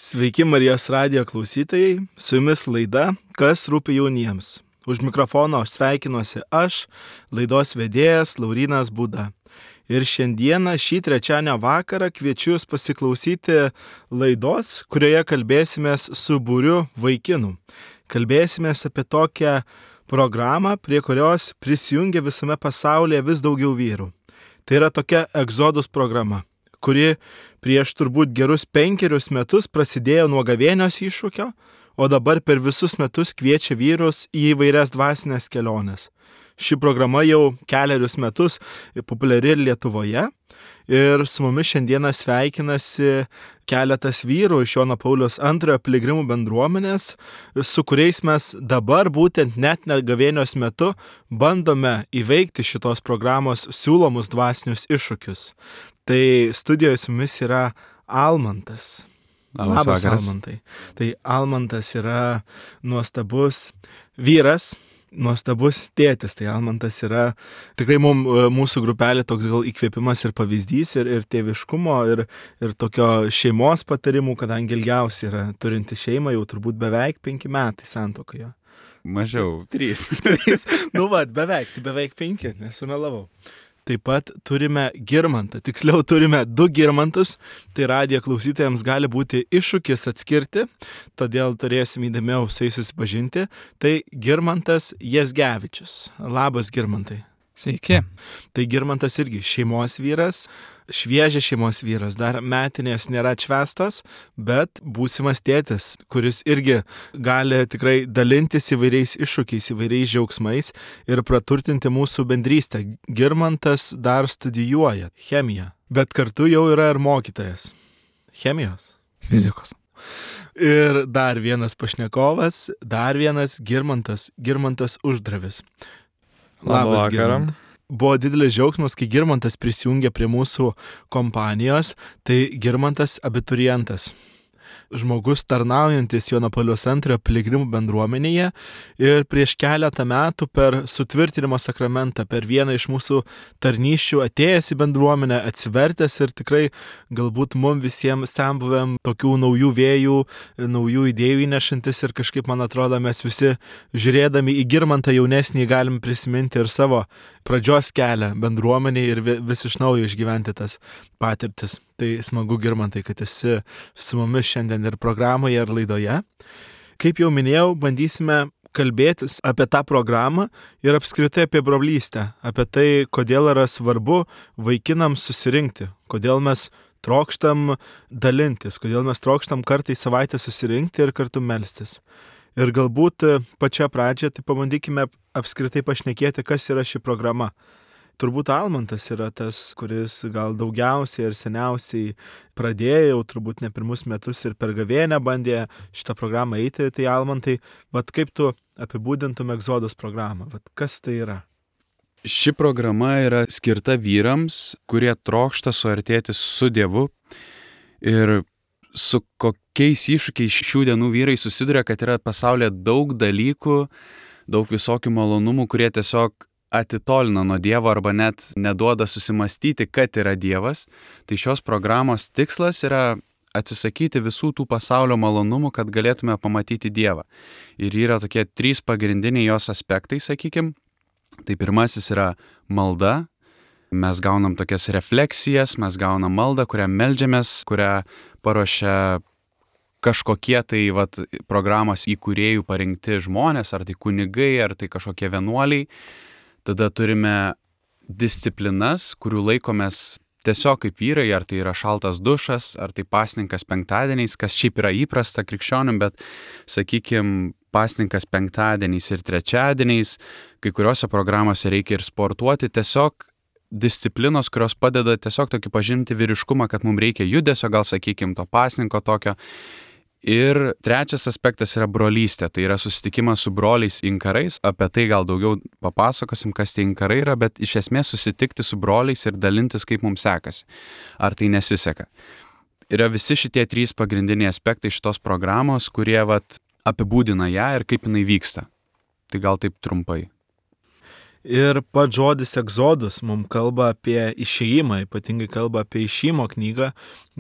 Sveiki Marijos radijo klausytojai, su jumis laida Kas rūpi jauniems. Už mikrofono sveikinuosi aš, laidos vedėjas Laurynas Būda. Ir šiandieną šį trečiadienio vakarą kviečiu jūs pasiklausyti laidos, kurioje kalbėsimės su būriu vaikinų. Kalbėsimės apie tokią programą, prie kurios prisijungia visame pasaulyje vis daugiau vyrų. Tai yra tokia Exodus programa, kuri prieš turbūt gerus 5 metus prasidėjo nuo gavėnios iššūkio, o dabar per visus metus kviečia vyrus į įvairias dvasinės keliones. Ši programa jau 4 metus populiari ir Lietuvoje ir su mumis šiandieną sveikinasi keletas vyrų iš Jono Pauliaus II piligrimų bendruomenės, su kuriais mes dabar būtent net gavėnios metu bandome įveikti šitos programos siūlomus dvasinius iššūkius. Tai studijoje su mumis yra Almantas. Labas, Almantai. Tai Almantas yra nuostabus vyras, nuostabus tėtis. Tai Almantas yra tikrai mūsų grupelė toks gal įkvėpimas ir pavyzdys ir tėviškumo ir tokio šeimos patarimų, kadangi ilgiausiai yra turinti šeimą jau turbūt beveik 5 metai santuokoje. Mažiau. 3. beveik 5, nesumelavau. Taip pat turime Girmantą, tiksliau turime 2 Girmantus, tai radijo klausytojams gali būti iššūkis atskirti, todėl turėsim įdėmiau su jais susipažinti. Tai Girmantas Jezgevičius. Labas, Girmantai. Sveiki. Tai Girmantas irgi šeimos vyras, šviežias šeimos vyras, dar metinės nėra atšvęstos, bet būsimas tėtis, kuris irgi gali tikrai dalintis įvairiais iššūkiais, įvairiais džiaugsmais ir praturtinti mūsų bendrystę. Girmantas dar studijuoja chemiją, bet kartu jau yra ir mokytojas chemijos. Fizikos. Ir dar vienas pašnekovas, dar vienas Girmantas Uždravis. Labas, Girmantai. Buvo didelis džiaugsmas, kai Girmantas prisijungė prie mūsų kompanijos, tai Girmantas abiturientas. Žmogus tarnaujantis Jono Pauliaus II piligrimų bendruomenėje ir prieš keletą metų per sutvirtinimo sakramentą, per vieną iš mūsų tarnysčių atėjęs į bendruomenę, atsivertęs ir tikrai galbūt mums visiems senbuvėm tokių naujų vėjų, naujų idėjų įnešantis ir kažkaip, man atrodo, mes visi žiūrėdami į Girmantą jaunesnį galim prisiminti ir savo pradžios kelią bendruomeniai ir vis iš naujo išgyventi tas patirtis. Tai smagu, Girmantai, kad esi su mumis šiandien ir programoje, ir laidoje. Kaip jau minėjau, bandysime kalbėtis apie tą programą ir apskritai apie brolystę, apie tai, kodėl yra svarbu vaikinams susirinkti, kodėl mes trokštam dalintis, kodėl mes trokštam kartą į savaitę susirinkti ir kartu melstis. Ir galbūt pačią pradžią, tai pabandykime apskritai pašnekėti, kas yra ši programa. Turbūt Almantas yra tas, kuris gal daugiausiai ir seniausiai pradėjo, turbūt ne 1 metus ir per gavėnią bandė šitą programą eiti. Tai Almantai, kaip tu apibūdintum Exodus programą? Kas tai yra? Ši programa yra skirta vyrams, kurie trokšta suartėti su Dievu ir su kokiais iššūkiais šių dienų vyrai susiduria, kad yra pasaulyje daug dalykų, daug visokių malonumų, kurie tiesiog atitolina nuo Dievo arba net neduoda susimastyti, kad yra Dievas. Tai šios programos tikslas yra atsisakyti visų tų pasaulio malonumų, kad galėtume pamatyti Dievą. Ir yra tokie 3 pagrindiniai jos aspektai, sakykim. Tai pirmasis yra malda. Mes gaunam tokias refleksijas, mes gaunam maldą, kurią meldžiamės, kurią paruošia kažkokie tai programos įkūrėjų parinkti žmonės, ar tai kunigai, ar tai kažkokie vienuoliai. Tada turime disciplinas, kurių laikomės tiesiog kaip vyrai, ar tai yra šaltas dušas, ar tai pasninkas penktadieniais, kas šiaip yra įprasta krikščionim, bet, sakykim, pasninkas penktadieniais ir trečiadieniais, kai kuriuose programuose reikia ir sportuoti, tiesiog disciplinos, kurios padeda tiesiog tokį pažinti vyriškumą, kad mums reikia judesio, gal sakykim, to pasninko tokio. Ir trečias aspektas yra brolystė, tai yra susitikimas su broliais inkarais, apie tai gal daugiau papasakosim, kas tie inkarai yra, bet iš esmės susitikti su broliais ir dalintis, kaip mums sekasi, ar tai nesiseka. Yra visi šitie 3 pagrindiniai aspektai šitos programos, kurie apibūdina ją ir kaip jinai vyksta. Tai gal taip trumpai. Ir pats žodis egzodus mums kalba apie išėjimą, ypatingai kalba apie išėjimo knygą.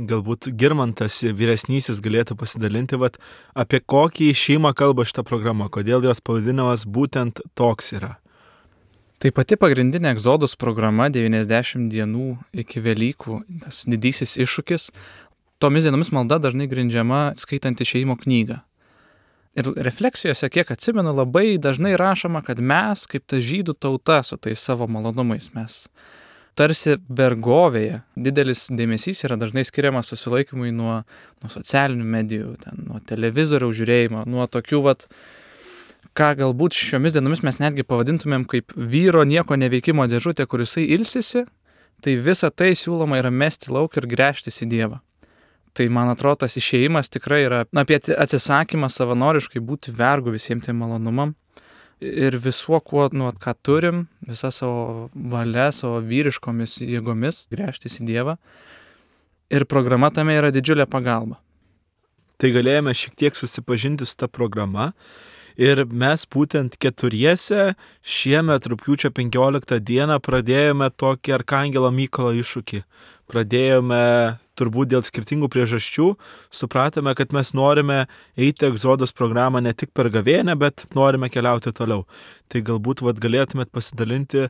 Galbūt Girmantas vyresnysis galėtų pasidalinti, apie kokį išėjimą kalba šitą programą, kodėl jos pavadinimas būtent toks yra. Tai pati pagrindinė egzodus programa 90 dienų iki Velykų, tas didysis iššūkis. Tomis dienomis malda dažnai grindžiama skaitant išėjimo knygą. Ir refleksijose, kiek atsimenu, labai dažnai rašoma, kad mes, kaip ta žydų tauta su tais savo malonumais, mes tarsi vergovėje. Didelis dėmesys yra dažnai skiriamas susilaikymui nuo socialinių medijų, nuo televizoriaus žiūrėjimo, nuo tokių, ką galbūt šiomis dienomis mes netgi pavadintumėm kaip vyro nieko neveikimo dėžutė, kur jisai ilsisi, tai visa tai siūloma yra mesti lauk ir gręžtis į Dievą. Tai, man atrodo, tas išėjimas tikrai yra apie atsisakymą savanoriškai būti vergu visiems tiem malonumam ir visuo, ką turim, visą savo valia, savo vyriškomis jėgomis gręžtis į Dievą. Ir programa tame yra didžiulė pagalba. Tai galėjome šiek tiek susipažinti su ta programa ir mes būtent keturiese šiemet rugpjūčio 15 dieną pradėjome tokį Arkangelo Mykolo iššūkį. Pradėjome turbūt dėl skirtingų priežasčių, supratome, kad mes norime eiti egzodos programą ne tik per gavėnią, bet norime keliauti toliau. Tai galbūt galėtumėt pasidalinti,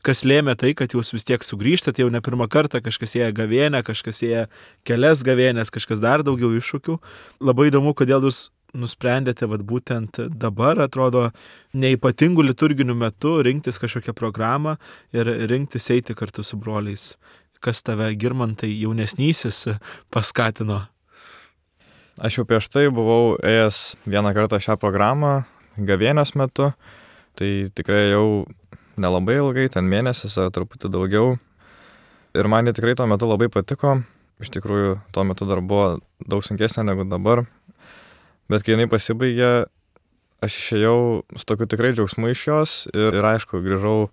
kas lėmė tai, kad jūs vis tiek sugrįžtate jau ne pirmą kartą, kažkas ėję gavėnę, kažkas ėję kelias gavėnės, kažkas dar daugiau iššūkių. Labai įdomu, kodėl jūs nusprendėte būtent dabar, atrodo, neypatingų liturginių metų rinktis kažkokią programą ir rinktis eiti kartu su broliais. Kas tave, Girmantai, jaunesnysis paskatino? Aš jau prieš tai buvau ėjęs vieną kartą šią programą gavėnios metu, tai tikrai jau nelabai ilgai, ten mėnesis ar truputį daugiau. Ir man jie tikrai tuo metu labai patiko, iš tikrųjų tuo metu dar buvo daug sunkesnė negu dabar. Bet kai jinai pasibaigė, aš išėjau su tokiu tikrai džiaugsmu iš jos ir aišku, grįžau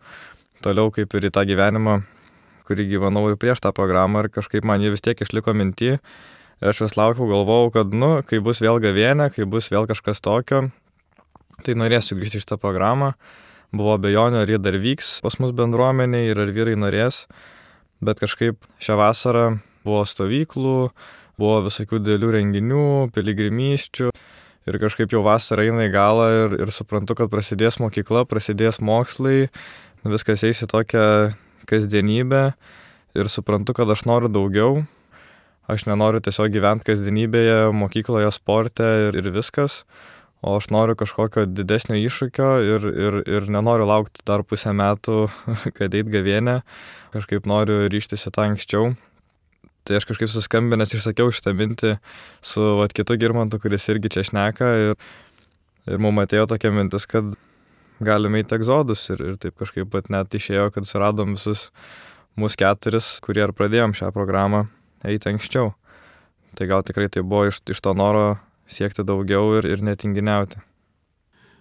toliau kaip ir į tą gyvenimą, kurį gyvenau ir prieš tą programą ir kažkaip man jį vis tiek išliko minty. Ir aš vis laukiau, galvojau, kad, kai bus vėl gavėnė, kai bus vėl kažkas tokio, tai norėsiu grįžti į šitą programą. Buvo abejonių, ar jie dar vyks pas mus bendruomeniai ir ar vyrai norės. Bet kažkaip šią vasarą buvo stovyklų, buvo visokių didelių renginių, piligrimysčių. Ir kažkaip jau vasara eina į galą ir suprantu, kad prasidės mokykla, prasidės mokslai, viskas eis į tokią kasdienybę ir suprantu, kad aš noriu daugiau. Aš nenoriu tiesiog gyventi kasdienybėje, mokykloje, sporte ir viskas, o aš noriu kažkokio didesnio iššūkio ir nenoriu laukti dar pusę metų, kad eit gavėnę. Kažkaip noriu ryžtis į tą anksčiau. Tai aš kažkaip suskambinęs išsakiau šitą mintį su kitu Girmantu, kuris irgi čia šneka ir mums atėjo tokia mintis, kad galime eiti egzodus ir taip kažkaip net išėjo, kad suradom visus mus keturis, kurie ir pradėjom šią programą eiti anksčiau. Tai gal tikrai tai buvo iš to noro siekti daugiau ir netinginiauti.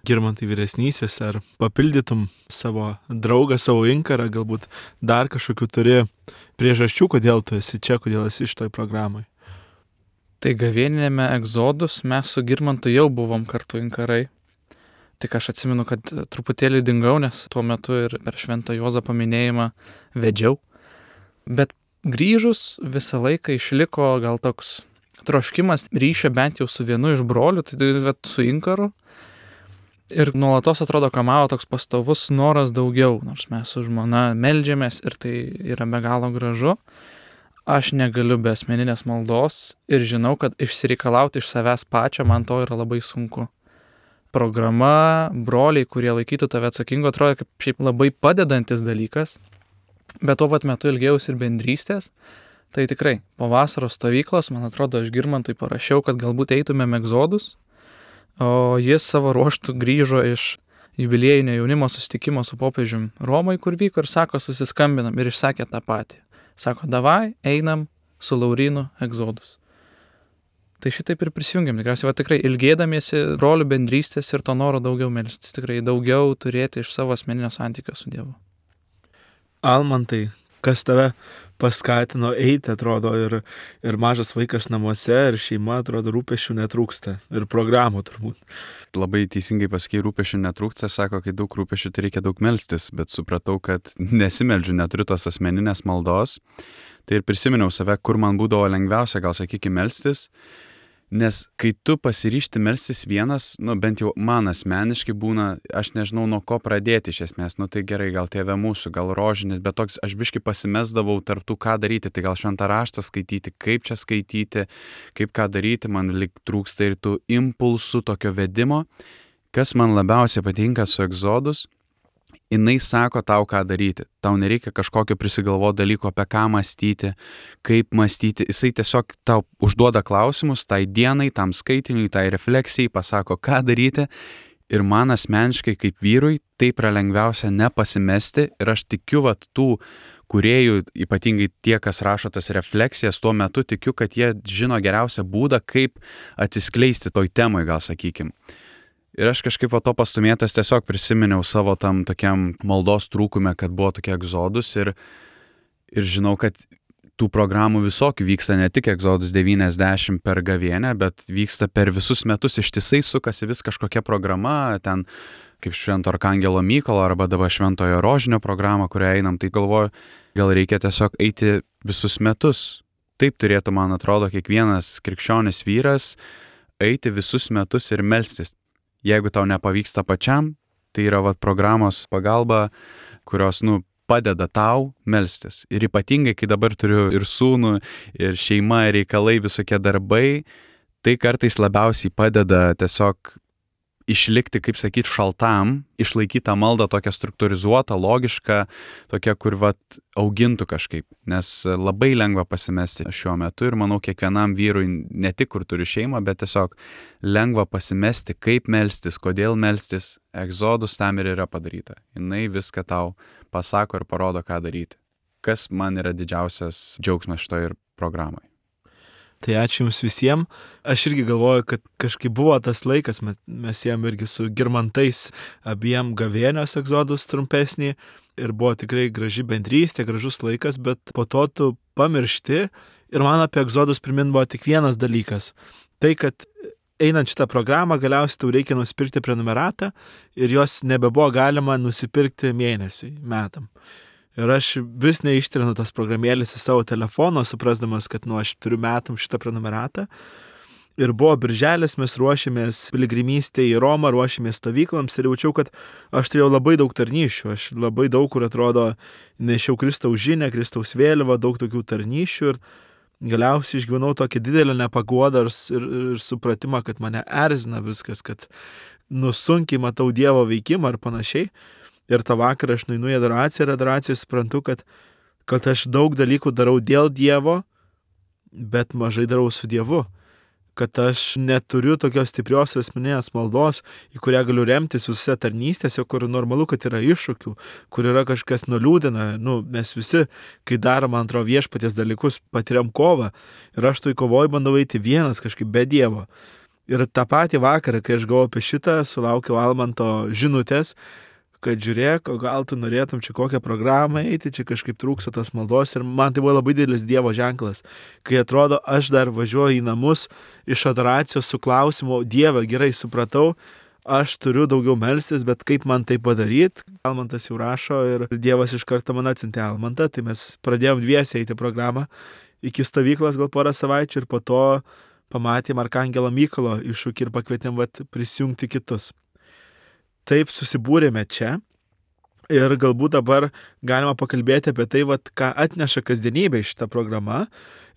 Girmantai vyresnysis, ar papildytum savo draugą, savo inkarą, galbūt dar kažkokių turi priežasčių, kodėl tu esi čia, kodėl esi šitoj programai? Tai gavėninėme egzodus mes su Girmantu jau buvom kartu inkarai. Tik aš atsimenu, kad truputėlį dingau, nes tuo metu ir per Šventą Juozapą minėjimą vedžiau. Bet grįžus visą laiką išliko gal toks troškimas ryšio bent jau su vienu iš brolių, tai su inkaru. Ir nuolatos atrodo kamavo toks pastovus noras daugiau, nors mes su žmona meldžiamės ir tai yra be galo gražu. Aš negaliu be asmeninės maldos ir žinau, kad išsireikalauti iš savęs pačio man to yra labai sunku. Programa, broliai, kurie laikytų tave atsakingo, atrodo kaip šiaip labai padedantis dalykas, bet tuo pat metu ilgėjausi ir bendrystės. Tai tikrai, po vasaros stovyklos, man atrodo, aš Girmantui parašiau, kad galbūt eitumėm egzodus, o jis savo ruoštų grįžo iš jubiliejinio jaunimo susitikimo su popiežium Romoj, kur vyko, ir sako, susiskambinam, ir išsakė tą patį. Sako, davai, einam su Laurynu egzodus. Tai šitaip ir prisijungiam. Tikriausiai tikrai ilgėdamiesi brolių bendrystės ir to noro daugiau melstis, tikrai daugiau turėti iš savo asmeninio santykio su Dievu. Almantai, kas tave paskatino eiti, atrodo, ir mažas vaikas namuose, ir šeima, atrodo, rūpesčių netrūksta. Ir programų turbūt. Labai teisingai pasakei, rūpesčių netrūksta, sako, kai daug rūpesčių, tai reikia daug melstis, bet supratau, kad nesimeldžiu, neturiu tos asmeninės maldos. Tai ir prisiminiau save, kur man būdavo lengviausia, gal sakykime, melstis. Nes kai tu pasiryšti melstis vienas, bent jau man asmeniškai būna, aš nežinau nuo ko pradėti iš esmės, tai gerai, gal Tėve mūsų, gal rožinis, bet toks aš biškai pasimesdavau tarp tų, ką daryti, tai gal šventą raštą skaityti, kaip čia skaityti, kaip ką daryti, man lyg trūksta ir tų impulsų, tokio vedimo. Kas man labiausiai patinka su Egzodus, jinai sako tau, ką daryti. Tau nereikia kažkokio prisigalvoti dalyko, apie ką mąstyti, kaip mąstyti. Jisai tiesiog tau užduoda klausimus tai dienai, tam skaitiniui, tai refleksijai, pasako, ką daryti. Ir man asmeniškai kaip vyrui taip yra lengviausia nepasimesti. Ir aš tikiu, tų kūrėjų, ypatingai tie, kas rašo tas refleksijas, tuo metu tikiu, kad jie žino geriausią būdą, kaip atsiskleisti toj temai, gal sakykim. Ir aš kažkaip to pastumėtas tiesiog prisiminiau savo tam tokiam maldos trūkume, kad buvo tokie Egzodus ir žinau, kad tų programų visokių vyksta, ne tik Egzodus 90 per gavėnę, bet vyksta per visus metus, ištisai sukasi vis kažkokia programa, ten kaip Švento Arkangelo Mykolo arba dabar Šventojo Rožinio programa, kurią einam, tai galvoju, gal reikia tiesiog eiti visus metus. Taip turėtų, man atrodo, kiekvienas krikščionis vyras eiti visus metus ir melstis. Jeigu tau nepavyksta pačiam, tai yra programos pagalba, kurios, padeda tau melstis. Ir ypatingai, kai dabar turiu ir sūnų, ir šeima, ir reikalai, visokie darbai, tai kartais labiausiai padeda tiesiog išlikti, kaip sakyti, šaltam, išlaikyti tą maldą tokią struktūrizuotą, logišką, tokią, kur augintų kažkaip. Nes labai lengva pasimesti šiuo metu ir manau kiekvienam vyrui, ne tik kur turi šeimą, bet tiesiog lengva pasimesti, kaip melstis, kodėl melstis. Egzodus tam ir yra padaryta. Jinai viską tau pasako ir parodo, ką daryti. Kas man yra didžiausias džiaugsmas šitoj programai. Tai ačiū Jums visiems. Aš irgi galvoju, kad kažkaip buvo tas laikas, mes jiem irgi su Girmantais abiem gavėnios Egzodus trumpesnį ir buvo tikrai graži bendrystė, gražus laikas, bet po to tu pamiršti ir man apie Egzodus primint buvo tik vienas dalykas. Tai, kad einant šitą programą galiausiai tau reikia nusipirkti prenumeratą ir jos nebebuvo galima nusipirkti mėnesiui, metam. Ir aš vis neištrinu tas programėlės į savo telefoną, suprasdamas, kad aš turiu metam šitą prenumeratą. Ir buvo birželis, mes ruošėmės piligrimystėje į Romą, ruošėmės stovyklams ir jaučiau, kad aš turėjau labai daug tarnyšių. Aš labai daug, kur atrodo, nešiau Kristaus žinę, Kristaus vėliavą, daug tokių tarnyšių. Ir galiausiai išgyvenau tokį didelį nepaguodą ir supratimą, kad mane erzina viskas, kad sunkiai matau Dievo veikimą ar panašiai. Ir tą vakarą aš nueinu į adoraciją ir adoraciją suprantu, kad aš daug dalykų darau dėl Dievo, bet mažai darau su Dievu. Kad aš neturiu tokios stiprios asmeninės maldos, į kurią galiu remtis visose tarnystėse, kur normalu, kad yra iššūkių, kur yra kažkas nuliūdina. Mes visi, kai darom, man atrodo, viešpaties dalykus, patiriam kovą. Ir aš toj kovoj bandau eiti vienas kažkaip be Dievo. Ir tą patį vakarą, kai aš galvoju apie šitą, sulaukiau Almanto žinutės, kad žiūrėk, o gal tu norėtum čia kokią programą eiti, čia kažkaip trūksta tos maldos ir man tai buvo labai didelis Dievo ženklas, kai atrodo, aš dar važiuoju į namus iš adoracijos su klausimu, Dieve, gerai supratau, aš turiu daugiau melstis, bet kaip man tai padaryti? Almantas jau rašo ir Dievas iš karto man atsiuntė Almantą, tai mes pradėjom dviese eiti programą iki stovyklos gal porą savaičių ir po to pamatėm Arkangelo Mykolo iššūkį ir pakvietėm prisijungti kitus. Taip susibūrėme čia ir galbūt dabar galima pakalbėti apie tai, ką atneša kasdienybė šitą programą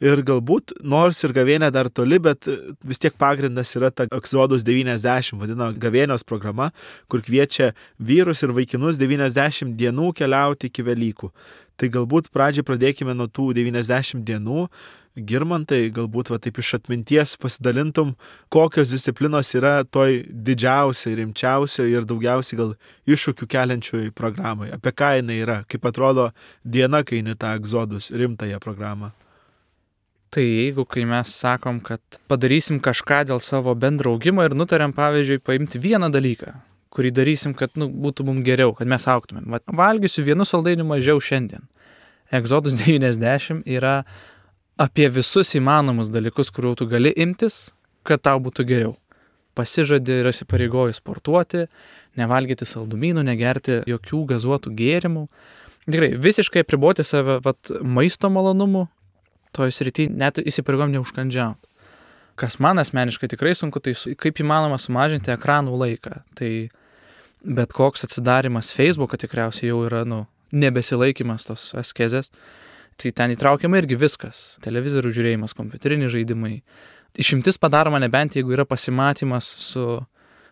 ir galbūt, nors ir gavėnė dar toli, bet vis tiek pagrindas yra ta Egzodus 90, vadina gavėnios programa, kur kviečia vyrus ir vaikinus 90 dienų keliauti iki Velykų. Tai galbūt pradžiai pradėkime nuo tų 90 dienų. Girmantai, galbūt taip iš atminties pasidalintum, kokios disciplinos yra toj didžiausiai, rimčiausiai ir daugiausiai gal iššūkių keliančioj programai. Apie ką jinai yra, kaip atrodo diena, kai eini tą Egzodus rimtąją programą. Tai jeigu kai mes sakom, kad padarysim kažką dėl savo bendro augimo ir nutarėm, pavyzdžiui, paimti vieną dalyką, kurį darysim, kad būtų mums geriau, kad mes augtumėm. Valgysiu vienu saldainiu mažiau šiandien. Exodus 90 yra apie visus įmanomus dalykus, kurių tu gali imtis, kad tau būtų geriau. Pasižadi ir įsipareigoji sportuoti, nevalgyti saldumynų, negerti jokių gazuotų gėrimų. Tikrai, visiškai apriboti save maisto malonumų, toj srity net įsipareigojom neužkandžiauti. Kas man asmeniškai tikrai sunku, tai kaip įmanoma sumažinti ekranų laiką. Tai bet koks atsidarimas Facebooką tikriausiai jau yra, nebesilaikymas tos askezės. Tai ten įtraukiama irgi viskas. Televizorių žiūrėjimas, kompiuteriniai žaidimai. Išimtis padaroma nebent, jeigu yra pasimatymas su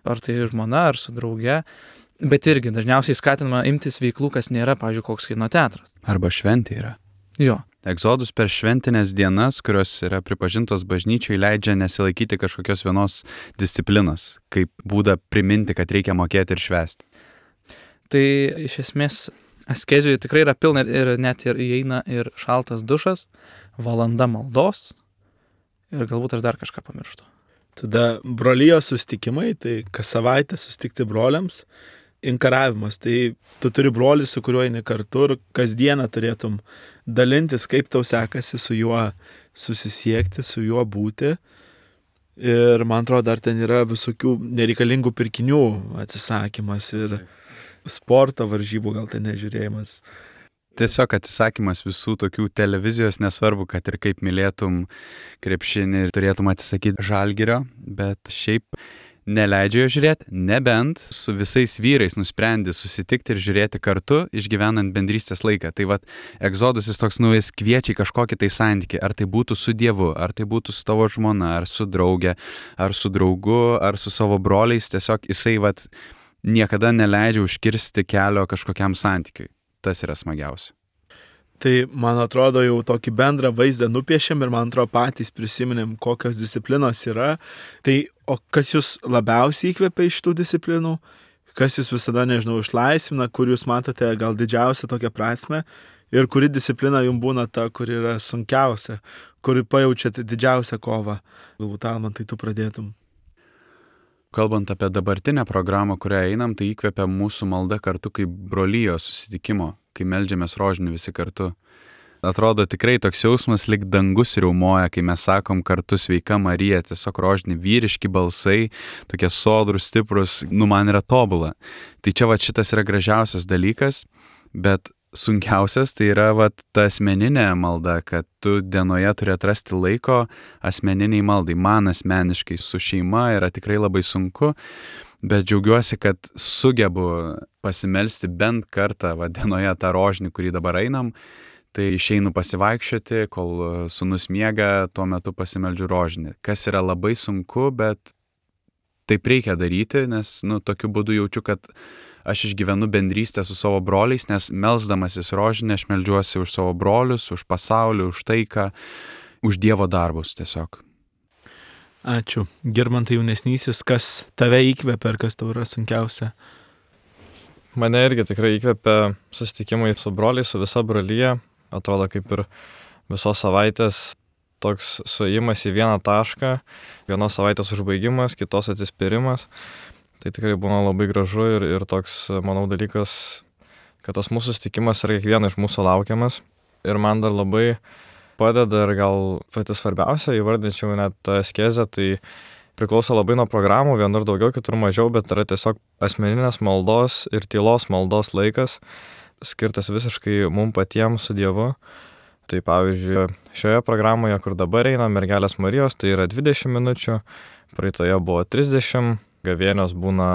ar tai žmona, ar su drauge. Bet irgi dažniausiai skatinama imtis veiklų, kas nėra, pavyzdžiui, koks kino teatras. Arba šventė yra. Jo. Exodus per šventinės dienas, kurios yra pripažintos bažnyčiai, leidžia nesilaikyti kažkokios vienos disciplinos, kaip būdą priminti, kad reikia mokėti ir švęsti. Tai iš esmės askezijoje tikrai yra pilna ir net ir įeina ir šaltas dušas, valanda maldos ir galbūt aš dar kažką pamirštu. Tada brolijos susitikimai, tai kas savaitę susitikti broliams. Inkaravimas, tai tu turi brolį, su kuriuo eini kartu ir kasdieną turėtum dalintis, kaip tau sekasi su juo susisiekti, su juo būti. Ir man atrodo, dar ten yra visokių nereikalingų pirkinių atsisakymas ir sporto varžybų gal ten nežiūrėjimas. Tiesiog atsisakymas visų tokių televizijos, nesvarbu, kad ir kaip mylėtum krepšinį ir turėtum atsisakyti Žalgirio, bet šiaip neleidžia jo žiūrėti, nebent su visais vyrais nusprendi susitikti ir žiūrėti kartu, išgyvenant bendrystės laiką. Tai Exodus jis toks jis kviečia į kažkokį tai santykį, ar tai būtų su Dievu, ar tai būtų su tavo žmona, ar su drauge, ar su draugu, ar su savo broliais, tiesiog jisai niekada neleidžia užkirsti kelio kažkokiam santykiui. Tas yra smagiausia. Tai, man atrodo, jau tokį bendrą vaizdą nupiešėm ir, man atrodo, patys prisiminėm, kokios disciplinos yra. Tai, o kas jūs labiausiai įkvepia iš tų disciplinų? Kas jūs visada, išlaisvina, kur jūs matote gal didžiausią tokią prasmę? Ir kuri disciplina jums būna ta, kuri yra sunkiausia, kuri pajaučiate didžiausią kovą? Galbūt, Almantai, tu pradėtum. Kalbant apie dabartinę programą, kurią einam, tai įkvepia mūsų malda kartu kaip brolijos susitikimo, kai meldžiamės rožinį visi kartu. Atrodo tikrai toks jausmas, lyg dangus riaumoja, kai mes sakom kartu sveika Marija, tiesiog rožinį vyriški balsai, tokie sodrus, stiprus, man yra tobula. Tai čia šitas yra gražiausias dalykas, bet sunkiausias tai yra ta asmeninė malda, kad tu dienoje turi atrasti laiko asmeniniai maldai. Man asmeniškai su šeima yra tikrai labai sunku, bet džiaugiuosi, kad sugebu pasimelsti bent kartą dienoje tą rožinį, kurį dabar einam. Tai išeinu pasivaikščioti, kol sūnus miega, tuo metu pasimeldžiu rožinį. Kas yra labai sunku, bet taip reikia daryti, nes tokiu būdu jaučiu, kad aš išgyvenu bendrystę su savo broliais, nes melsdamasis rožinį aš meldžiuosi už savo brolius, už pasaulį, už taiką, už Dievo darbus tiesiog. Ačiū. Girmantai jaunesnysis, kas tave įkvepia ir kas tau yra sunkiausia? Mane irgi tikrai įkvepia susitikimai su broliais, su visa brolyje. Atrodo kaip ir visos savaitės toks suėjimas į vieną tašką, vienos savaitės užbaigimas, kitos atsispyrimas. Tai tikrai būna labai gražu ir toks, manau, dalykas, kad tas mūsų susitikimas yra kiekvieno iš mūsų laukiamas. Ir man dar labai padeda ir gal pati svarbiausia, įvardinčiau net tą askezę, tai priklauso labai nuo programų, vienur daugiau, kitur mažiau, bet yra tiesiog asmeninės maldos ir tylos maldos laikas, skirtas visiškai mum patiems su Dievu. Tai pavyzdžiui, šioje programoje, kur dabar eina Mergelės Marijos, tai yra 20 minučių, praeitoje buvo 30, gavėnios būna,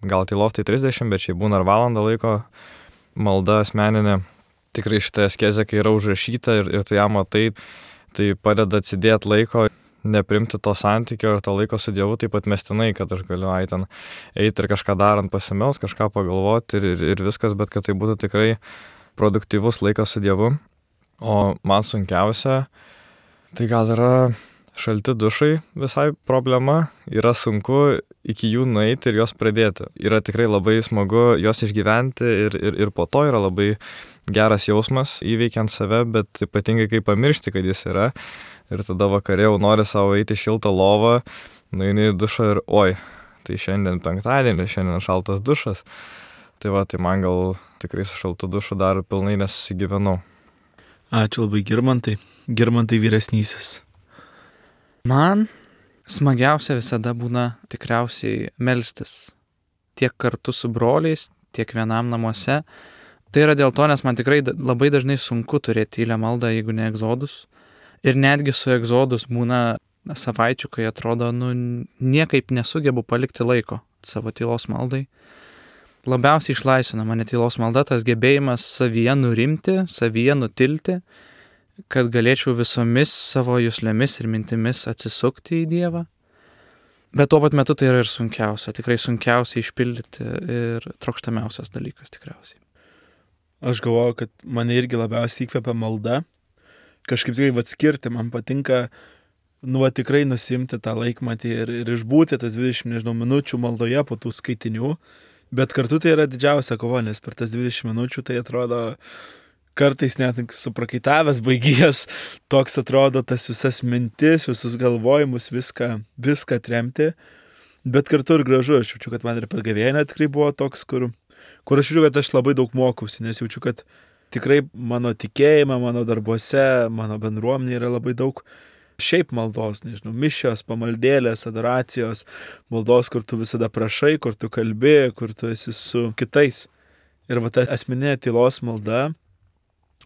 gal tylos tai 30, bet šiaip būna ir valandą laiko malda asmeninė. Tikrai šitą askezę, kai yra užrašyta ir tu ją matai, tai padeda atsidėti laiko, neprimti to santykio ir to laiko su Dievu taip atmestinai, kad aš galiu ten eiti ir kažką darant pasimels, kažką pagalvoti ir viskas, bet kad tai būtų tikrai produktyvus laikas su Dievu. O man sunkiausia, tai gal yra šalti dušai visai problema, yra sunku iki jų nueiti ir juos pradėti. Yra tikrai labai smagu juos išgyventi ir po to yra labai geras jausmas įveikiant save, bet ypatingai kai pamiršti, kad jis yra. Ir tada vakarė jau nori savo eiti šiltą lovą, nueini į dušą ir oi, tai šiandien penktadienį, šiandien šaltas dušas. Tai man gal tikrai su šaltu dušu dar pilnai nesusigyvenau. Ačiū labai Girmantai. Girmantai vyresnysis. Man smagiausia visada būna tikriausiai melstis. Tiek kartu su broliais, tiek vienam namuose. Tai yra dėl to, nes man tikrai labai dažnai sunku turėti tylią maldą, jeigu ne egzodus. Ir netgi su egzodus būna savaičių, kai atrodo, niekaip nesugebu palikti laiko savo tylos maldai. Labiausiai išlaisvina mane tylos malda, tas gebėjimas savyje nurimti, savyje nutilti, kad galėčiau visomis savo juslėmis ir mintimis atsisukti į Dievą. Bet tuo pat metu tai yra ir sunkiausia, tikrai sunkiausia išpildyti ir trokštamiausias dalykas tikriausiai. Aš galvoju, kad mane irgi labiausiai įkvepia malda. Kažkaip tikrai atskirti, man patinka tikrai nusimti tą laikmatį ir išbūti tas 20 minučių maldoje po tų skaitinių. Bet kartu tai yra didžiausia kova, nes per tas 20 minučių tai atrodo kartais net suprakaitavęs, baigijęs, toks atrodo tas visas mintis, visus galvojimus, viską tremti. Bet kartu ir gražu, aš jaučiu, kad man ir per gavėnią tikrai buvo toks, kur aš jaučiu, kad aš labai daug mokausi, nes jaučiu, kad tikrai mano tikėjime, mano darbuose, mano bendruomenė yra labai daug šiaip maldos, mišios, pamaldėlės, adoracijos, maldos, kur tu visada prašai, kur tu kalbi, kur tu esi su kitais. Ir ta asmeninė tylos malda,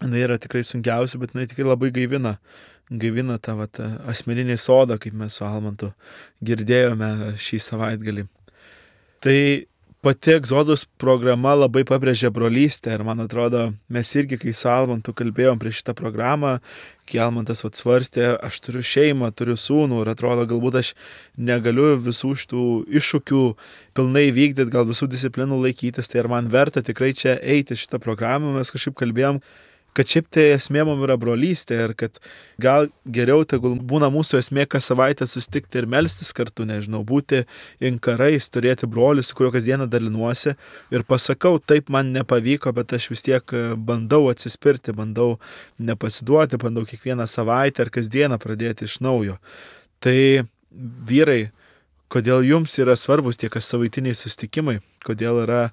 jinai yra tikrai sunkiausia, bet jinai tikrai labai gaivina tą asmeninį sodą, kaip mes su Almantu girdėjome šį savaitgalį. Tai pati egzodus programa labai pabrėžia brolystę ir man atrodo, mes irgi, kai su Almantu kalbėjom prieš šitą programą, kai Almantas svarstė, aš turiu šeimą, turiu sūnų ir atrodo, galbūt aš negaliu visų šitų iššūkių pilnai vykdyti, gal visų disciplinų laikytis, tai ar man verta tikrai čia eiti šitą programą, mes kažkaip kalbėjom, kad šiaip tai esmė mums yra brolystė ir kad gal geriau tegul būna mūsų esmė kas savaitę susitikti ir melstis kartu, būti inkarais, turėti brolį, su kuriuo kasdieną dalinuosi ir pasakau, taip man nepavyko, bet aš vis tiek bandau atsispirti, bandau nepasiduoti, bandau kiekvieną savaitę ar kasdieną pradėti iš naujo. Tai vyrai, kodėl jums yra svarbus tie kas savaitiniai susitikimai, kodėl yra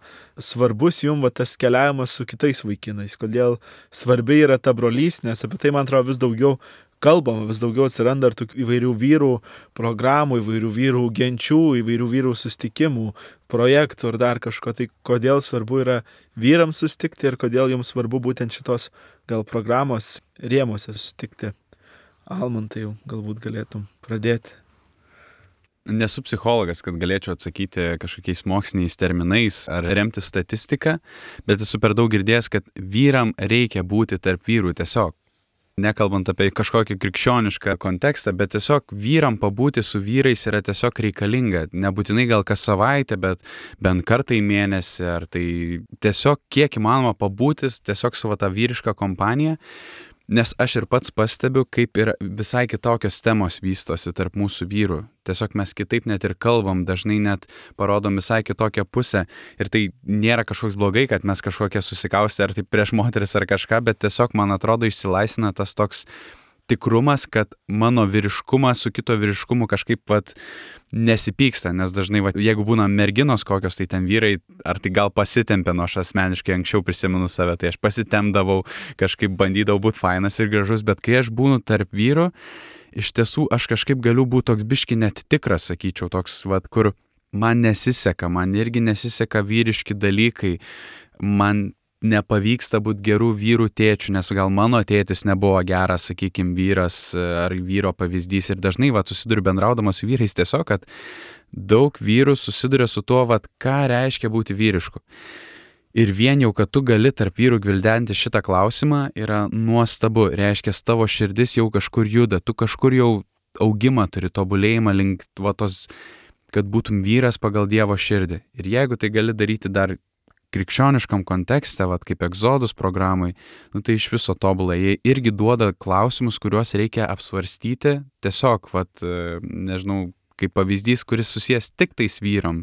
svarbus jums tas keliavimas su kitais vaikinais, kodėl svarbi yra ta brolystė, nes apie tai, man atrodo, vis daugiau kalbama, vis daugiau atsiranda ir tokių įvairių vyrų programų, įvairių vyrų genčių, įvairių vyrų susitikimų, projektų ir dar kažko. Tai kodėl svarbu yra vyrams susitikti ir kodėl jums svarbu būtent šitos gal programos rėmuose susitikti. Almantai, galbūt galėtum pradėti. Nesu psichologas, kad galėčiau atsakyti kažkokiais moksliniais terminais ar remti statistiką, bet esu per daug girdėjęs, kad vyram reikia būti tarp vyrų tiesiog. Nekalbant apie kažkokį krikščionišką kontekstą, bet tiesiog vyram pabūti su vyrais yra tiesiog reikalinga. Nebūtinai gal kas savaitę, bet bent kartą į mėnesį, ar tai tiesiog kiek įmanoma pabūtis tiesiog su tą vyrišką kompaniją. Nes aš ir pats pastebiu, kaip ir visai kitokios temos vystosi tarp mūsų vyrų. Tiesiog mes kitaip net ir kalbam, dažnai net parodom visai kitokią pusę. Ir tai nėra kažkoks blogai, kad mes kažkokie susikaustę ar tai prieš moteris ar kažką, bet tiesiog, man atrodo, išsilaisvina tas toks tikrumas, kad mano vyriškumas su kito vyriškumu kažkaip nesipyksta, nes dažnai, jeigu būna merginos kokios, tai ten vyrai, ar tai gal pasitempė, aš asmeniškai anksčiau prisimenu save, tai aš pasitempdavau, kažkaip bandydavau būti fainas ir gražus, bet kai aš būnu tarp vyrų, iš tiesų aš kažkaip galiu būti toks biški net tikras, sakyčiau, toks, kur man nesiseka, man irgi nesiseka vyriški dalykai, man nepavyksta būti gerų vyrų tėčių, nes gal mano tėtis nebuvo geras, sakykime, vyras ar vyro pavyzdys ir dažnai susiduriu bendraudamas su vyrais tiesiog, kad daug vyrų susiduria su tuo, ką reiškia būti vyrišku. Ir vien jau, kad tu gali tarp vyrų gvildenti šitą klausimą, yra nuostabu, reiškia, tavo širdis jau kažkur juda, tu kažkur jau augimą turi, tobulėjimą link tos, kad būtum vyras pagal Dievo širdį. Ir jeigu tai gali daryti dar krikščioniškam kontekste, kaip egzodus programai, tai iš viso tobulai. Jie irgi duoda klausimus, kuriuos reikia apsvarstyti, tiesiog, nežinau, kaip pavyzdys, kuris susijęs tik tais vyram.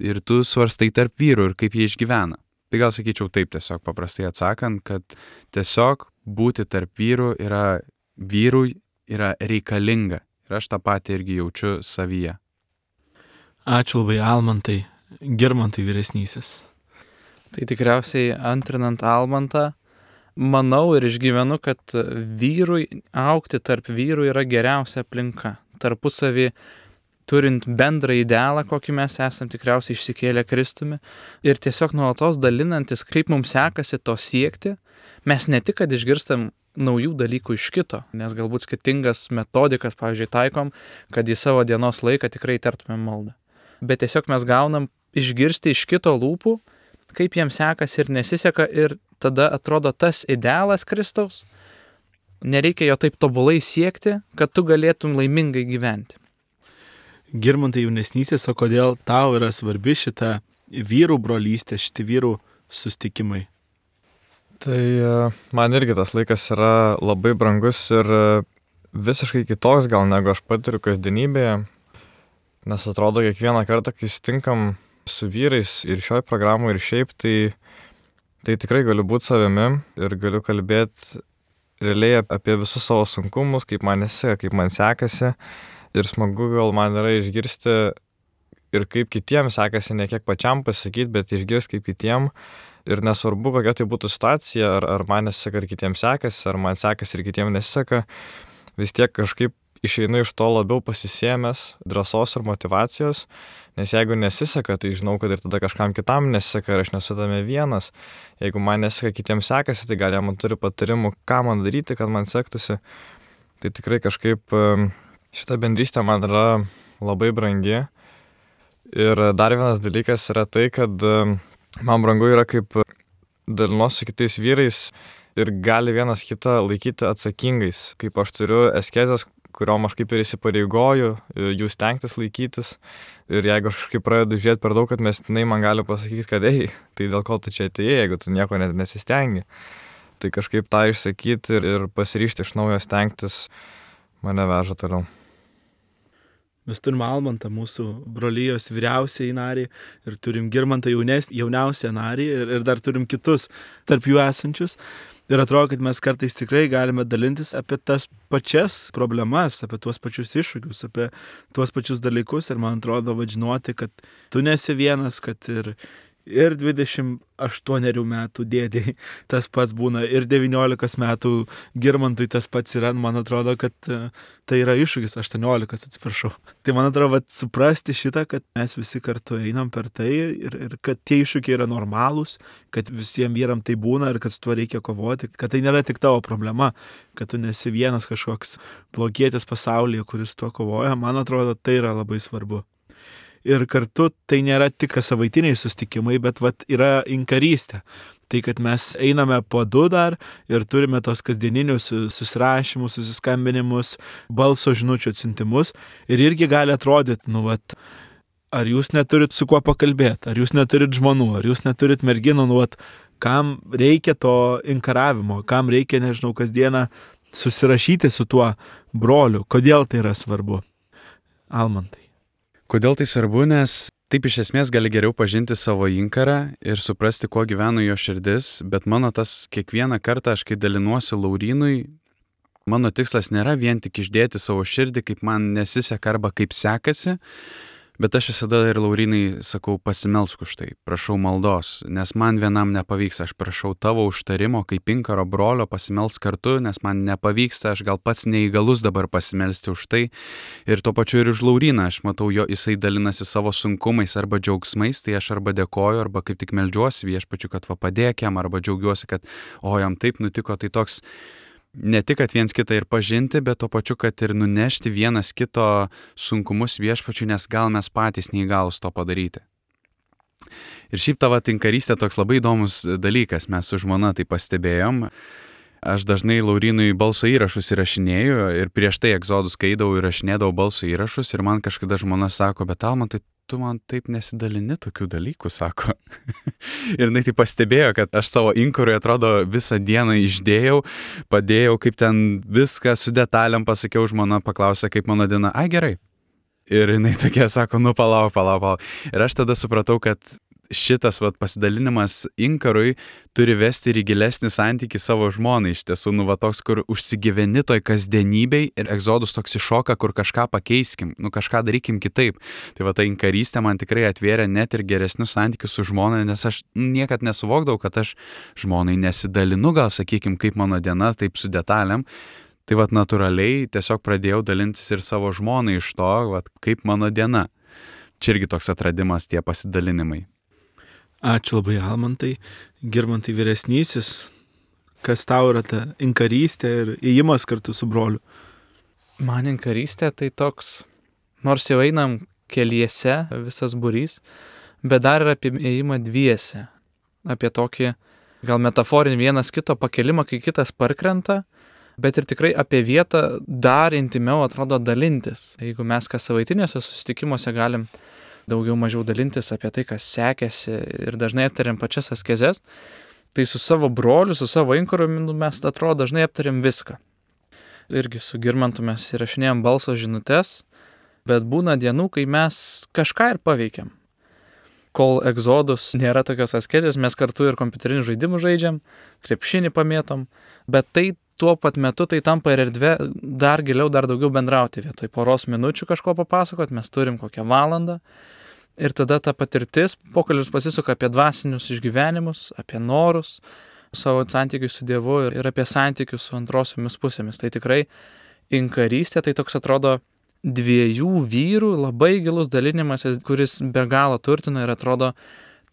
Ir tu svarstai tarp vyrų ir kaip jie išgyvena. Tai gal sakyčiau taip tiesiog paprastai atsakant, kad tiesiog būti tarp vyrų vyrui yra reikalinga. Ir aš tą patį irgi jaučiu savyje. Ačiū labai, Almantai. Girmantai vyresnysis. Tai tikriausiai antrinant Almantą, Manau ir išgyvenu, kad vyrui augti tarp vyrų yra geriausia aplinka. Tarpusavį turint bendrą idealą, kokį mes esam tikriausiai išsikėlę Kristumi, ir tiesiog nuolatos dalinantis, kaip mums sekasi to siekti, mes ne tik, kad išgirstam naujų dalykų iš kito, nes galbūt skirtingas metodikas, pavyzdžiui, taikom, kad į savo dienos laiką tikrai tartumėm maldą. Bet tiesiog mes gaunam išgirsti iš kito lūpų, kaip jiems sekasi ir nesiseka, ir tada atrodo tas idealas Kristaus, nereikia jo taip tobulai siekti, kad tu galėtum laimingai gyventi. Girmantai jaunesnysis, o kodėl tau yra svarbi šita vyrų brolystė, šitie vyrų sustikimai? Tai man irgi tas laikas yra labai brangus ir visiškai kitoks gal negu aš patiriu kasdienybėje, nes atrodo kiekvieną kartą, kai sutinkam su vyrais ir šioj programai ir šiaip, tai tikrai galiu būti savimi ir galiu kalbėti realiai apie visus savo sunkumus, kaip man nesiseka, kaip man sekasi. Ir smagu gal man yra išgirsti ir kaip kitiems sekasi, ne kiek pačiam pasakyti, bet išgirsti kaip kitiem. Ir nesvarbu, kokia tai būtų situacija, ar man nesiseka, ar kitiems sekasi, ar man sekasi ir kitiems nesiseka, vis tiek kažkaip išeinu iš to labiau pasisėmęs drąsos ir motivacijos, nes jeigu nesiseka, tai žinau, kad ir tada kažkam kitam nesiseka ir aš nesu tame vienas. Jeigu man nesiseka, kitiems sekasi, tai gal jie man turi patarimų, ką man daryti, kad man sektųsi. Tai tikrai kažkaip šita bendrystė man yra labai brangi. Ir dar vienas dalykas yra tai, kad man brangu yra kaip dalinuosi su kitais vyrais ir gali vienas kitą laikyti atsakingais. Kaip aš turiu askezes, kuriom aš kaip ir įsipareigoju, jų stengtis laikytis. Ir jeigu aš kažkaip pradedu žiūrėti per daug, kad mestinai man gali pasakyti, kad tai dėl ko tu čia atėjai, jeigu tu nieko net nesistengi. Tai kažkaip tą išsakyti ir pasiryžti iš naujo stengtis mane veža toliau. Mes turim Almantą, mūsų brolijos vyriausiai narį, ir turim Girmantą jauniausią narį, ir dar turim kitus tarp jų esančius. Ir atrodo, kad mes kartais tikrai galime dalintis apie tas pačias problemas, apie tuos pačius iššūkius, apie tuos pačius dalykus. Ir man atrodo, žinoti, kad tu nesi vienas, kad ir 28 metų dėdėjai tas pats būna, ir 19 metų Girmantui tas pats yra. Man atrodo, kad tai yra iššūkis, 18, atsiprašau. Tai man atrodo, suprasti šitą, kad mes visi kartu einam per tai ir kad tie iššūkiai yra normalūs, kad visiems vyram tai būna ir kad su tuo reikia kovoti, kad tai nėra tik tavo problema, kad tu nesi vienas kažkoks blogietis pasaulyje, kuris tuo kovoja. Man atrodo, tai yra labai svarbu. Ir kartu tai nėra tik savaitiniai sustikimai, bet yra inkarystė. Tai, kad mes einame po 2 dar ir turime tos kasdieninius susirašymus, susiskambinimus, balso žinučių atsiuntimus. Ir irgi gali atrodyti, ar jūs neturit su kuo pakalbėti, ar jūs neturit žmonų, ar jūs neturit merginų, kam reikia to inkaravimo, kam reikia, nežinau, kasdieną susirašyti su tuo broliu. Kodėl tai yra svarbu? Almantai. Kodėl tai svarbu, nes taip iš esmės gali geriau pažinti savo inkarą ir suprasti, kuo gyvena jo širdis, bet mano tas kiekvieną kartą, aš kai dalinuosi Laurynui, mano tikslas nėra vien tik išdėti savo širdį, kaip man nesiseka arba kaip sekasi, bet aš visada ir Laurynai sakau, pasimelsk už tai, prašau maldos, nes man vienam nepavyks, aš prašau tavo užtarimo kaip inkaro brolio pasimelsk kartu, nes man nepavyksta, aš gal pats neįgalus dabar pasimelsti už tai. Ir tuo pačiu ir už Lauryną, aš matau jisai dalinasi savo sunkumais arba džiaugsmais, tai aš arba dėkoju, arba kaip tik meldžiuosi viešpačiu, kad padėk jam, arba džiaugiuosi, kad jam taip nutiko, tai toks ne tik, kad viens kitą ir pažinti, bet tuo pačiu, kad ir nunešti vienas kito sunkumus viešpačiu, nes gal mes patys neįgalus to padaryti. Ir šiaip tavo tinkarystė toks labai įdomus dalykas, mes su žmona tai pastebėjom. Aš dažnai Laurynui balso įrašus įrašinėju ir prieš tai egzodus skaidau ir įrašinėdavau balso įrašus ir man kažkada žmona sako, bet Almantai, tu man taip nesidalini tokių dalykų, sako. Ir jinai tai pastebėjo, kad aš savo inkarui atrodo visą dieną išdėjau, padėjau, kaip ten viską su detaliam pasakiau, žmona paklausė, kaip mano diena, gerai. Ir jinai tokia sako, palauk. Ir aš tada supratau, kad šitas pasidalinimas inkarui turi vesti ir į gilesnį santykį savo žmonai. Iš tiesų, toks, kur užsigyveni toj kasdienybei ir egzodus toks iššoka, kur kažką pakeiskim, kažką darykim kitaip. Tai ta inkarystė man tikrai atvėrė net ir geresnius santykius su žmona, nes aš niekad nesuvokdavau, kad aš žmonai nesidalinu, gal sakykim, kaip mano diena, taip su detalėm. Tai natūraliai tiesiog pradėjau dalintis ir savo žmonai iš to, kaip mano diena. Čia irgi toks atradimas, tie pasidalinimai. Ačiū labai, Almantai. Girmantai vyresnysis, kas tau yra ta inkarystė ir įėjimas kartu su broliu? Man inkarystė tai toks, nors jau einam keliese, visas būrys, bet dar ir apie įėjimą dviese. Apie tokį gal metaforinį vienas kito pakelimą, kai kitas parkrenta, bet ir tikrai apie vietą dar intimiau atrodo dalintis. Jeigu mes kas savaitiniuose susitikimuose galim daugiau mažiau dalintis apie tai, kas sekėsi ir dažnai aptariam pačias askezes, tai su savo broliu, su savo inkaru mes atrodo dažnai aptariam viską. Irgi su Girmantu mes įrašinėjom balso žinutes, bet būna dienų, kai mes kažką ir paveikiam. Kol egzodus nėra tokios askezės, mes kartu ir kompiuterinių žaidimų žaidžiam, krepšinį pamėtom, bet tai tuo pat metu tai tampa ir erdvė dar giliau, dar daugiau bendrauti. Vietoj poros minučių kažko papasakot, mes turim kokią valandą ir tada ta patirtis, pokalbis pasisuka apie dvasinius išgyvenimus, apie norus, savo santykius su Dievu ir apie santykius su antrosiomis pusėmis. Tai tikrai inkarystė, tai toks atrodo dviejų vyrų labai gilus dalinimasis, kuris be galo turtina ir atrodo,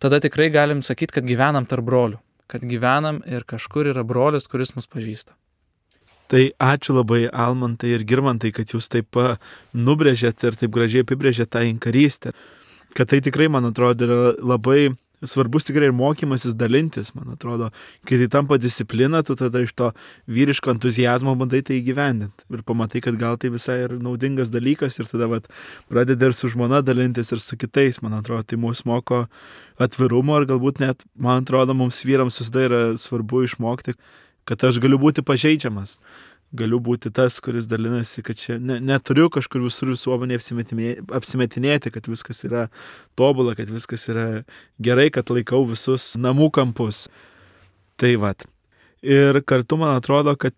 tada tikrai galim sakyti, kad gyvenam tarp brolių, kad gyvenam ir kažkur yra brolis, kuris mus pažįsta. Tai ačiū labai, Almantai ir Girmantai, kad jūs taip nubrėžėt ir taip gražiai apibrėžėt tą inkarystę. Kad tai tikrai, man atrodo, yra labai svarbus tikrai ir mokymasis dalintis, man atrodo. Kai tai tampa disciplina, tu tada iš to vyriško entuzijazmo bandai tai įgyvendinti. Ir pamatai, kad gal tai visai ir naudingas dalykas ir tada pradedi ir su žmona dalintis ir su kitais. Man atrodo, tai mus moko atvirumo ir galbūt net, man atrodo, mums vyrams visada yra svarbu išmokti, kad aš galiu būti pažeidžiamas, galiu būti tas, kuris dalinasi, kad čia neturiu kažkur visur visuomenė apsimetinėti, kad viskas yra tobula, kad viskas yra gerai, kad laikau visus namų kampus. Tai Ir kartu man atrodo, kad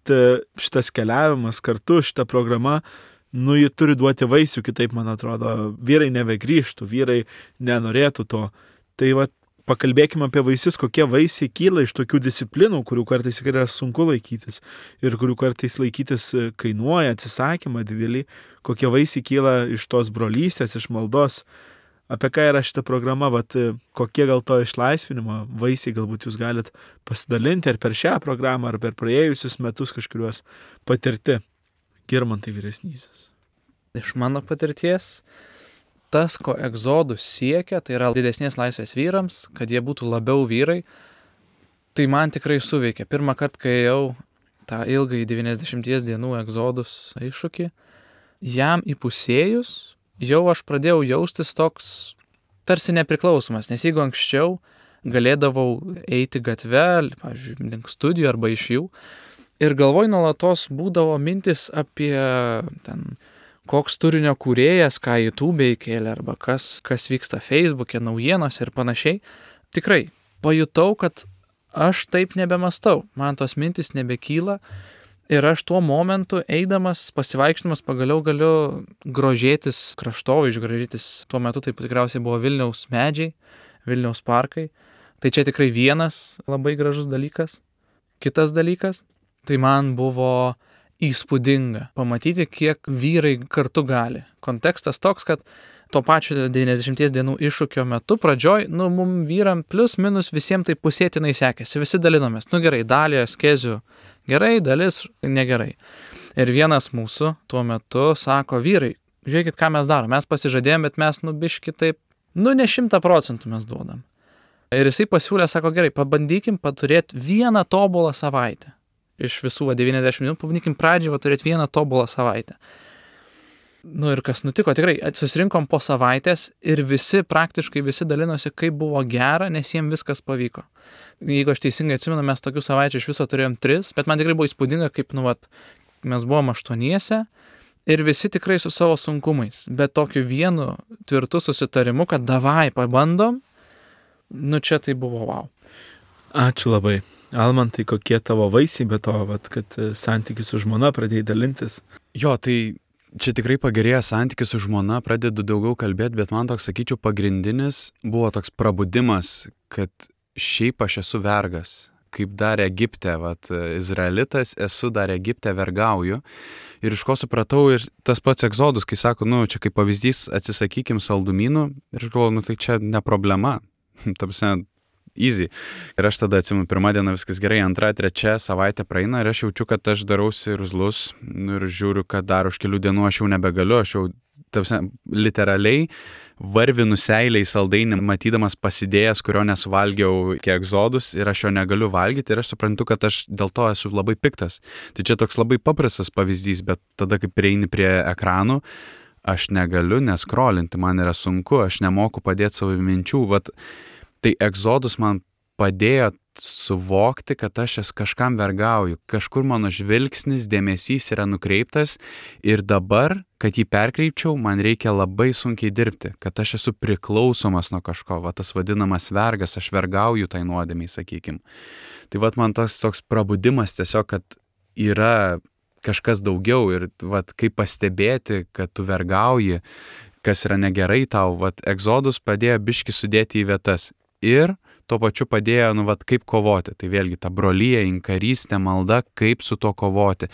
šitas keliavimas kartu, šita programa, ji turi duoti vaisių, kitaip man atrodo, vyrai nebegrįžtų, vyrai nenorėtų to. Tai pakalbėkime apie vaisius, kokie vaisiai kyla iš tokių disciplinų, kurių kartais yra sunku laikytis ir kurių kartais laikytis kainuoja, atsisakymą didelį, kokie vaisiai kyla iš tos brolystės, iš maldos. Apie ką yra šita programa, kokie gal to išlaisvinimo vaisiai galbūt jūs galit pasidalinti ar per šią programą, ar per praėjusius metus kažkuriuos patirti. Girmantai vyresnysis. Iš mano patirties, tas, ko egzodus siekia, tai yra didesnės laisvės vyrams, kad jie būtų labiau vyrai, tai man tikrai suveikė. Pirmą kartą, kai ėjau tą ilgai 90 dienų egzodus iššūkį, jam įpusėjus, jau aš pradėjau jaustis toks tarsi nepriklausomas, nes jeigu anksčiau galėdavau eiti gatve, pavyzdžiui, link studijų arba iš jų, ir galvoj nuolatos būdavo mintis apie koks turinio kūrėjas, ką YouTube įkėlė, arba kas vyksta Facebook'e, naujienos ir panašiai. Tikrai pajutau, kad aš taip nebemastau, man tos mintis nebekyla ir aš tuo momentu eidamas, pasivaikščiodamas pagaliau galiu grožėtis kraštovaizdžiu, grožėtis tuo metu taip tikriausiai buvo Vilniaus medžiai, Vilniaus parkai. Tai čia tikrai vienas labai gražus dalykas. Kitas dalykas, tai man buvo įspūdinga pamatyti, kiek vyrai kartu gali. Kontekstas toks, kad to pačio 90 dienų iššūkio metu pradžioj, mum vyram plius minus visiems tai pusėtinai sekėsi, visi dalinomės. Gerai, dalį askezių gerai, dalis negerai. Ir vienas mūsų tuo metu sako, vyrai, žiūrėkit, ką mes darom, mes pasižadėjom, bet mes biški taip, ne 100% mes duodam. Ir jisai pasiūlė, sako, gerai, pabandykim paturėti vieną tobulą savaitę. Iš visų 90 minų, pabandykim pradžią turėti vieną tobulą savaitę. Ir kas nutiko, tikrai susirinkom po savaitės ir praktiškai visi dalinosi, kaip buvo gera, nes jiems viskas pavyko. Jeigu aš teisingai atsimenu, mes tokių savaičių iš viso turėjom 3, bet man tikrai buvo įspūdinga, kaip, mes buvom 8 ir visi tikrai su savo sunkumais, bet tokiu vienu tvirtu susitarimu, kad davai, pabandom, Čia tai buvo wow. Ačiū labai. Almantai, kokie tavo vaisiai be to, kad santykis su žmona pradėjai dalintis? Jo, tai čia tikrai pagerėjo santykis su žmona, pradedu daugiau kalbėti, bet man toks, sakyčiau, pagrindinis buvo toks prabudimas, kad šiaip aš esu vergas. Kaip dar Egipte, izraelitas, esu dar Egipte, vergauju. Ir iš ko supratau, ir tas pats Egzodus, kai sako, čia kaip pavyzdys, atsisakykim saldumynų, ir aš galvoju, tai čia ne problema. Tapsime, easy. Ir aš tada atsimenu, pirmą dieną viskas gerai, antrą, trečią savaitę praeina ir aš jaučiu, kad aš darausi ruzlus ir žiūriu, kad dar už kelių dienų aš jau nebegaliu, aš jau, tapsime, literaliai varvinu seiliai saldainį, matydamas pasidėjęs, kurio nesuvalgiau iki Egzodus ir aš jo negaliu valgyti ir aš suprantu, kad aš dėl to esu labai piktas. Tai čia toks labai paprastas pavyzdys, bet tada, kai prieini prie ekranų, aš negaliu neskrolinti, man yra sunku, aš nemoku padėti savo minčių. Tai Egzodus man padėjo suvokti, kad aš kažkam vergauju, kažkur mano žvilgsnis, dėmesys yra nukreiptas ir dabar, kad jį perkreipčiau, man reikia labai sunkiai dirbti, kad aš esu priklausomas nuo kažko, tas vadinamas vergas, aš vergauju tai nuodėmiai, sakykim. Tai man toks prabudimas tiesiog, kad yra kažkas daugiau ir kaip pastebėti, kad tu vergauji, kas yra negerai tau, Egzodus padėjo biškį sudėti į vietas ir tuo pačiu padėjo, kaip kovoti. Tai vėlgi ta brolija, inkarystė, malda, kaip su to kovoti.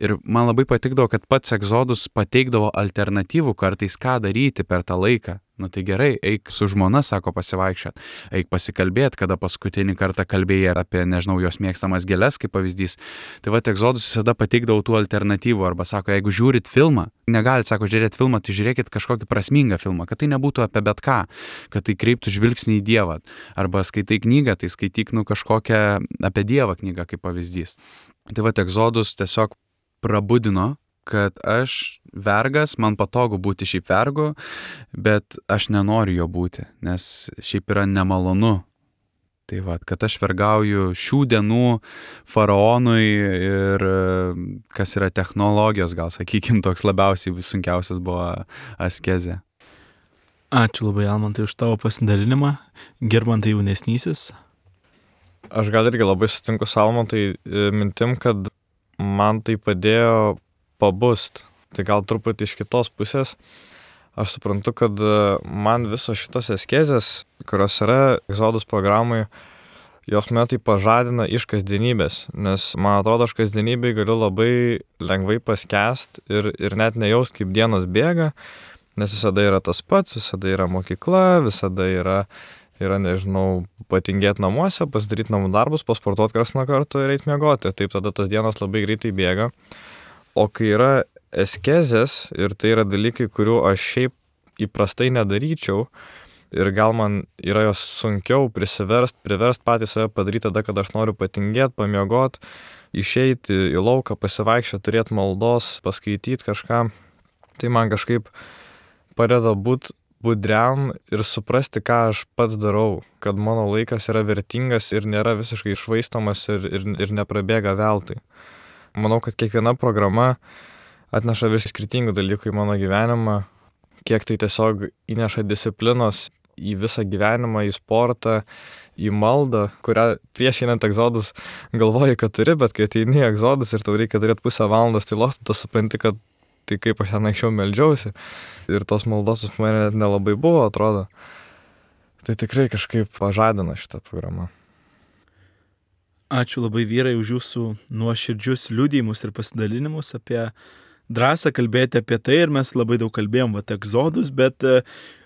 Ir man labai patikdavo, kad pats Egzodus pateikdavo alternatyvų kartais, ką daryti per tą laiką. Tai gerai, eik su žmona, sako, pasivaikščiot, eik pasikalbėti, kada paskutinį kartą kalbėjai apie, jos mėgstamas gėles, kaip pavyzdys. Tai Egzodus visada pateikdavo tų alternatyvų, arba sako, jeigu žiūrit filmą, negalit, sako, žiūrėti filmą, tai žiūrėkit kažkokį prasmingą filmą, kad tai nebūtų apie bet ką, kad tai kreiptų žvilgsnį į Dievą. Arba skaitai knygą, tai skaityk kažkokią apie Dievą knygą, kaip pavyzdys. Tai Egzodus tiesiog prabudino, kad aš vergas, man patogu būti šiaip vergu, bet aš nenoriu jo būti, nes šiaip yra nemalonu. Tai kad aš vergauju šių dienų faraonui ir kas yra technologijos, gal sakykim, toks labiausiai sunkiausias buvo askezė. Ačiū labai, Almantai, už tavo pasidalinimą. Girmantai jaunesnysis. Aš gal irgi labai sutinku su Almantai mintim, kad man tai padėjo pabust. Tai gal truputį iš kitos pusės. Aš suprantu, kad man visos šitos askezės, kurios yra Egzodus programai, jos mane tai pažadina iš kasdienybės. Nes man atrodo, aš kasdienybėj galiu labai lengvai paskęst ir net nejaust, kaip dienos bėga, nes visada yra tas pats, visada yra mokykla, visada yra patingėti namuose, pasidaryti namų darbus, pasportuoti karts nuo karto ir eiti miegoti. Taip tada tas dienos labai greitai bėga. O kai yra askezės ir tai yra dalykai, kurių aš šiaip įprastai nedaryčiau ir gal man yra jos sunkiau priverst patį save padaryti tada, kad aš noriu patingėti, pamiegoti, išeiti į lauką, pasivaikščioti, turėti maldos, paskaityti kažką, tai man kažkaip padeda būti budriam ir suprasti, ką aš pats darau, kad mano laikas yra vertingas ir nėra visiškai išvaistomas ir neprabėga veltui. Manau, kad kiekviena programa atneša vis skirtingų dalykų į mano gyvenimą, kiek tai tiesiog įneša disciplinos į visą gyvenimą, į sportą, į maldą, kurią prieš einant Egzodus galvoji, kad turi, bet kai ateini Egzodus ir tau reikia turėti pusę valandos tylos, tada supranti, kad tai kaip aš ten anksčiau meldžiausi ir tos maldos pas mane net nelabai buvo, atrodo. Tai tikrai kažkaip pažadina šitą programą. Ačiū labai, vyrai, už jūsų nuoširdžius liudijimus ir pasidalinimus apie drąsą kalbėti apie tai ir mes labai daug kalbėjom Egzodus, bet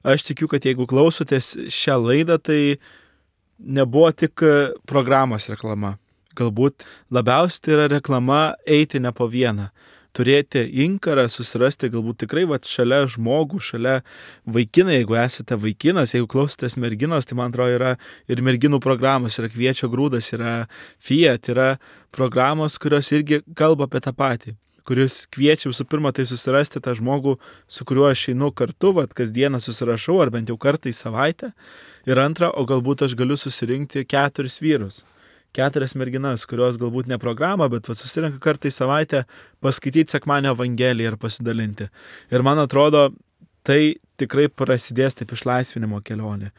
aš tikiu, kad jeigu klausotės šią laidą, tai nebuvo tik programos reklama. Galbūt labiausiai tai yra reklama eiti ne po vieną. Turėti inkarą, susirasti galbūt tikrai šalia žmogų, šalia vaikiną, jeigu esate vaikinas, jeigu klausotės merginos, tai man atrodo yra ir merginų programos, yra Kviečio grūdas, yra Fiat, yra programos, kurios irgi kalba apie tą patį, kuris kviečia visų pirma tai susirasti tą žmogų, su kuriuo aš einu kartu, kasdieną susirašau, ar bent jau kartą į savaitę, ir antra, o galbūt aš galiu susirinkti 4 vyrus. 4 merginas, kurios galbūt ne programą, bet susirenka kartą į savaitę paskaityti sekmadienio evangeliją ir pasidalinti. Ir man atrodo, tai tikrai prasidės taip išlaisvinimo kelionė.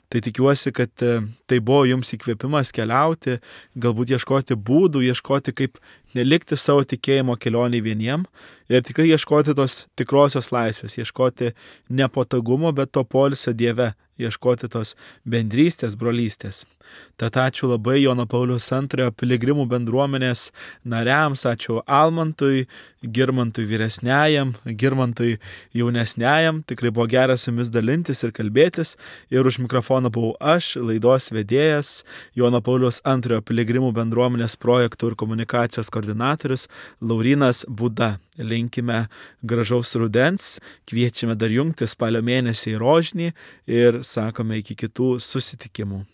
Tai tikiuosi, kad tai buvo jums įkvėpimas keliauti, galbūt ieškoti būdų, ieškoti kaip nelikti savo tikėjimo kelionį vieniem ir tikrai ieškoti tos tikrosios laisvės, ieškoti nepatogumo, bet to poilsio Dieve, ieškoti tos bendrystės, brolystės. Tad ačiū labai Jono Pauliaus II piligrimų bendruomenės nariams, ačiū Almantui, Girmantui vyresniajam, Girmantui jaunesniajam, tikrai buvo geras su jumis dalintis ir kalbėtis ir už mikrofoną buvau aš, laidos vedėjas, Jono Pauliaus II piligrimų bendruomenės projektų ir komunikacijos koordinatorius Laurynas Būda. Linkime gražaus rudens, kviečiame dar jungti spalio mėnesį į Rožnį ir sakome iki kitų susitikimų.